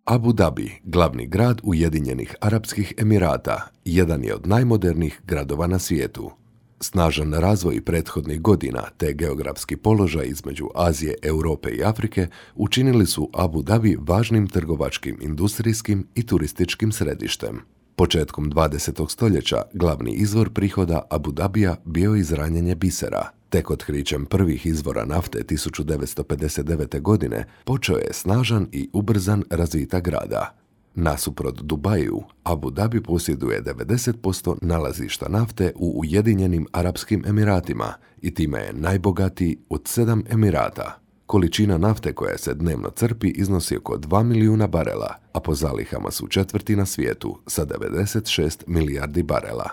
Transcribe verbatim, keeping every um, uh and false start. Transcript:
Abu Dhabi, glavni grad Ujedinjenih Arapskih Emirata, jedan je od najmodernijih gradova na svijetu. Snažan razvoj prethodnih godina te geografski položaj između Azije, Europe i Afrike učinili su Abu Dhabi važnim trgovačkim, industrijskim i turističkim središtem. Početkom dvadesetog stoljeća glavni izvor prihoda Abu Dhabija bio je izranjanje bisera. Tek otkrićem prvih izvora nafte tisuću devetsto pedeset devete. godine počeo je snažan i ubrzan razvitak grada. Nasuprot Dubaju, Abu Dhabi posjeduje devedeset posto nalazišta nafte u Ujedinjenim Arapskim Emiratima i time je najbogatiji od sedam emirata. Količina nafte koja se dnevno crpi iznosi oko dva milijuna barela, a po zalihama su četvrti na svijetu sa devedeset šest milijardi barela.